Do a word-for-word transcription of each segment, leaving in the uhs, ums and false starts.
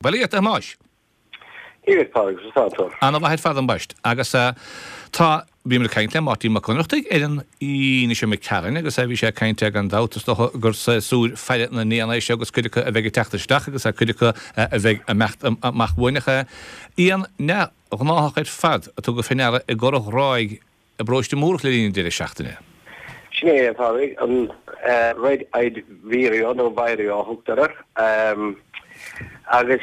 Bail ó Dhia ort, a Thomáis. Dia duit, Pádraig, conas atá tú? Ana-mhaith ar fad ambaist. Agus tá, bhíomar ag caint le Máirtín Mac Ionnrachtaigh ar an Aoine seo imigh tharainn agus bhí sé ag caint gan dabht is dócha gur séasúr faire na n-éan é seo agus cuid acu a bheidh ag teacht isteach agus cuid acu a bheidh ag imeacht amach uainn. Ach éan neamhghnáthach ar fad a tugadh fé ndeara i gCora Ghráig i bParóiste Múrach le linn an deireadh seachtaine. Sin é, a Phádraig, an Red-eyed Vireo nó Vireo a thugtar air. Agus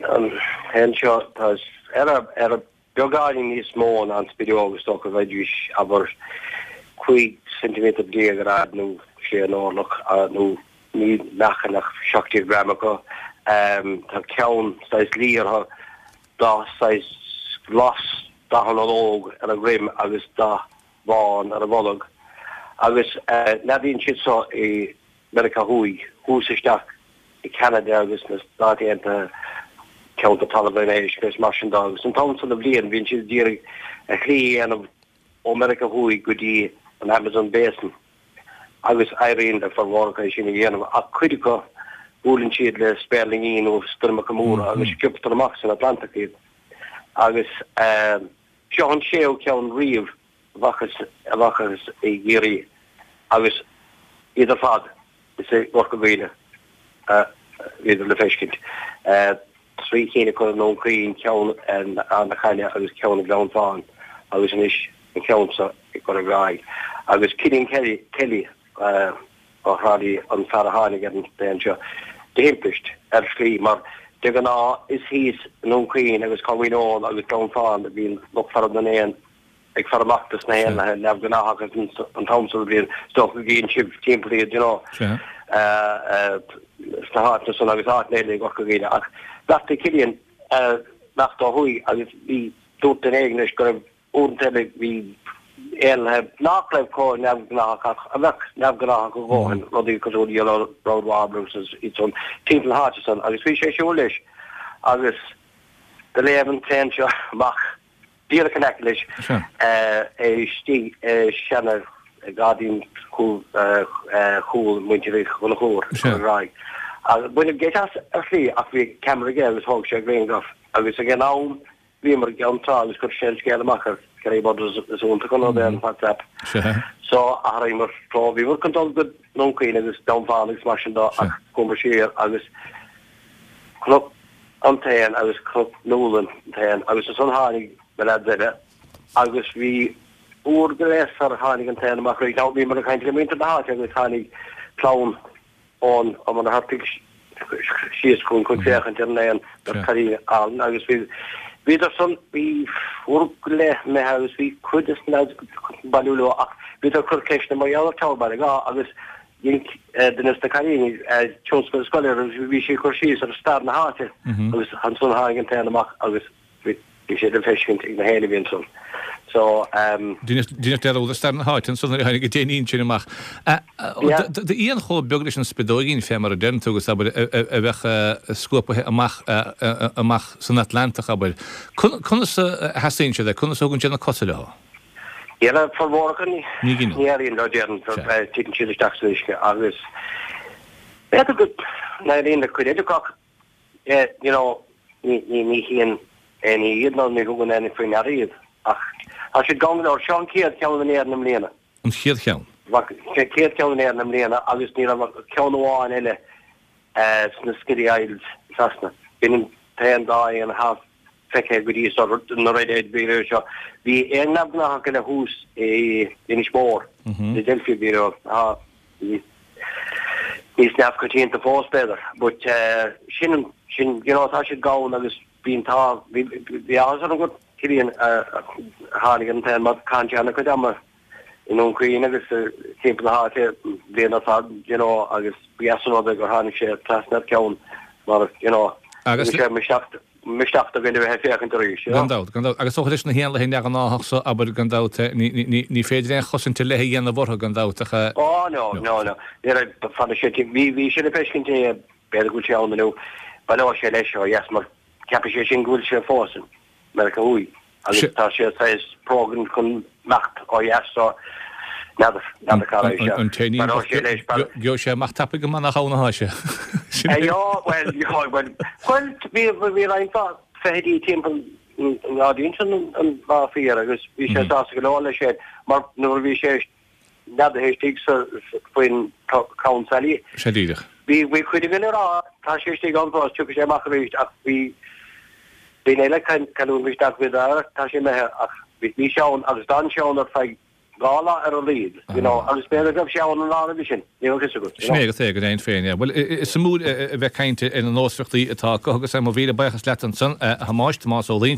an t-éan seo, tá ar ar beagáinín níos mó ná an spideog, is dócha, bheidís, abair, cúig ceintiméadar déag ar fhad nó sé an orlach, nó ní meáchan ach seacht déag gram acu. Tá ceann saghas liath orthu, dath saghas glas, dath an ológ ar a dhroim agus dath bán ar a bholg agus neadaíonn siad so i Meiriceá Thuaidh, thuas isteach i Ceanada agus na Stáit Aontaithe, ceantar Talamh an Éisc agus mar sin de agus an t-am san de bhliain bíonn siad ag iarraidh a shlí a dhéanamh ó Meiriceá Thuaidh go dtí an Amazon Basin agus éiríonn le formhór acu é sin a dhéanamh ach cuid acu buaileann siad le spéirlingí nó stoirmeacha móra agus sciobtar amach san Atlantach iad. Agus seo an séú ceann riamh a bhfacthas a bhfacthas i gCiarraí agus iad ar fad is i gCorca Dhuibhne a bhíodar le feiscint. Trí cinn acu i nDún Chaoin, ceann in Ard na Caithne agus ceann i nGleann Fáin agus anois an ceann seo i gCora Ghráig. Agus Cillian Kelly, Kelly, ó Thrá Lí, an fear a tháinig ar an t-éan seo de thimpist, ar shlí, mar de ghnáth is thíos i nDún Chaoin agus Conmhaoin Eoin agus Gleann Fáin a bhíonn lucht faire na n-éan ag faire amach dos na héanlaithe neamhghnáthacha an t-am so de bhliain. Is dócha go gcíonn sibh timpeall iad, you know, sna háiteanna san agus áiteanna eile i gCorca Dhuibhne. Ach bheartaigh Cillian imeacht ó thuaidh agus bhí, dúirt duine éigin leis go raibh Uaireanta eile bhí éanlaithe nach raibh chomh neamhghnáthach ach a bheadh neamhghnáthach a dhóthain, rudaí cosúil le yellow-browed warblers agus iad san timpeall na háite san agus bhí sé ag siúl leis agus do léim an t-éan seo amach díreach in aice leis, é istigh i seana ghairdín chúl chúl muintir Uí Chonchúir i gCora Ghráig. Agus baineadh geit as ar shlí ach bhí ceamara aige agus thóg sé grianghraf agus ag an am Bhíomar i gCeann Trá agus chuir sé an scéal amach ar Kerry Brothers is iontach an rud é an WhatsApp. So athraíomar treo. Bhíomar chun dul go Dún Chaoin agus Gleann Fáin agus mar sin de ach chuamar siar agus chonac an t-éan agus chonaic Nuala an t-éan agus ansan tháinig na leaids eile agus bhí uair go leith sar tháinig an t-éan amach arís. Now bhíomar ag caint le muintir na háite agus tháinig clann ón Ó Muircheartaigh síos chugainn chun féachaint ar an éan beirt chailín álainn agus bhí bhíodar san bhí uair go leith imithe agus bhí cuid des na leaids chun bailiú leo ach bhíodar ag cur ceisteanna mar gheall ar Tower Baile Ghá agus dhein duine des na cailíní tionscadal scoile agus bhí sí ag cur síos ar stair na háite agus ansan tháinig an t-éan amach agus bhí Bhí sé le feiscint ag na héinne a bhí ansan. So, ehm. Deineadh dearúd ar stair na háite ansan nuair a tháinig an t-éinín sin amach. D'éan chomh beag leis an spideoigín, fé mar a deireann tú, agus abair, a bheadh scuapaithe amach amach san Atlantach, abair. Conas a sheasaíonn siad é? Conas a thugann siad na cosa leo? Dhera, formhór acu ní éiríonn leo, déarfainn, titeann siad isteach san uisce agus b'fhéidir go n-éiríonn le cuid eile acu ach you know, ní, ní, ní chíonn éinne iad nó ní thugann éinne faoi ndeara iad. Ach tá siad gann go leor. Seo an chéad cheann in Éirinn i mbliana. An chéad cheann? An chéad cheann in Éirinn i mbliana agus ní raibh ach ceann amháin eile sna Scilly Isles i Sasana. B'in an t-aon dá éan atá feicthe go dtí so, na Red-eyed Vireo seo. Bhí éan neamhghnáthach eile thuas i Inis Mór, na Adelphi Vireo. Tá níos neamhchoitianta fós, b'fhéidir. But sin an, sin, you know, tá siad gann agus bíonn, tá, bhí, bhí áthas orm gur Cillian a tháinig ar an t-éan mar caitheann sé an-chuid ama i nDún Chaoin agus timpeall na háite bliain ar fad, you know, agus ba dheas an rud é gur tháinig sé trasna ar cheann mar, you know, Agus bhí sé misneach, misneach do dhuine a bheith ag féachaint arís, you know. Gan dabht, gan dabht. Agus is dócha leis na héanlaithe neamhghnáthach so, abair, gan dabht, ní, ní, ní, ní féidir aon chosaint ar leith a dhéanamh orthu, gan dabht, ach. Ó, no, no, no. Ní raibh, fanfaidh sé, bhí, bhí sé le feiscint é, b'fhéidir go bhfuil sé ann inniu, baileoidh sé leis ó dheas mar ceapfaidh sé sin go bhfuil sé fós i Meiriceá Thuaidh agus tá sé saghas program chun imeacht ó dheas so N'fheadar, n'fheadar cá raibh sé. An t-éinín bocht, gheobhaidh sé amach tapaidh go maith nach ann atá sé. Yeah, bhuel, yeah, bhuel, bhuel, bhí, bhí roinnt mhaith feithidí timpeall an ghairdín sin an lá faoi dheireadh agus bhí sé sásta go leor leis sin mar nuair a bhí sé neadaithe istigh sa, faoin crann sailí. Sé díreach. Bhí, bhí cuid againn ag rá, tá sé istigh ann fós, tiocfaidh sé amach arís ach bhí daoine eile ag cailliúint misneach, bhí, tá sé imithe ach bhí sé ann agus d'fhan sé ann ar feadh dhá lá ar a laghad, you know, agus b'fhéidir go raibh sé ann an lá roimhe sin, ní raibh a fhios agat, you Sin know. é agat é, go deimhin féin, yeah. Bhuel, is suimiúil a bheith ag caint ar na nósmhaireachtaí atá acu agus mo mhíle buíochas leat ansan, a Thomáis, Tomás Ó Loingsigh.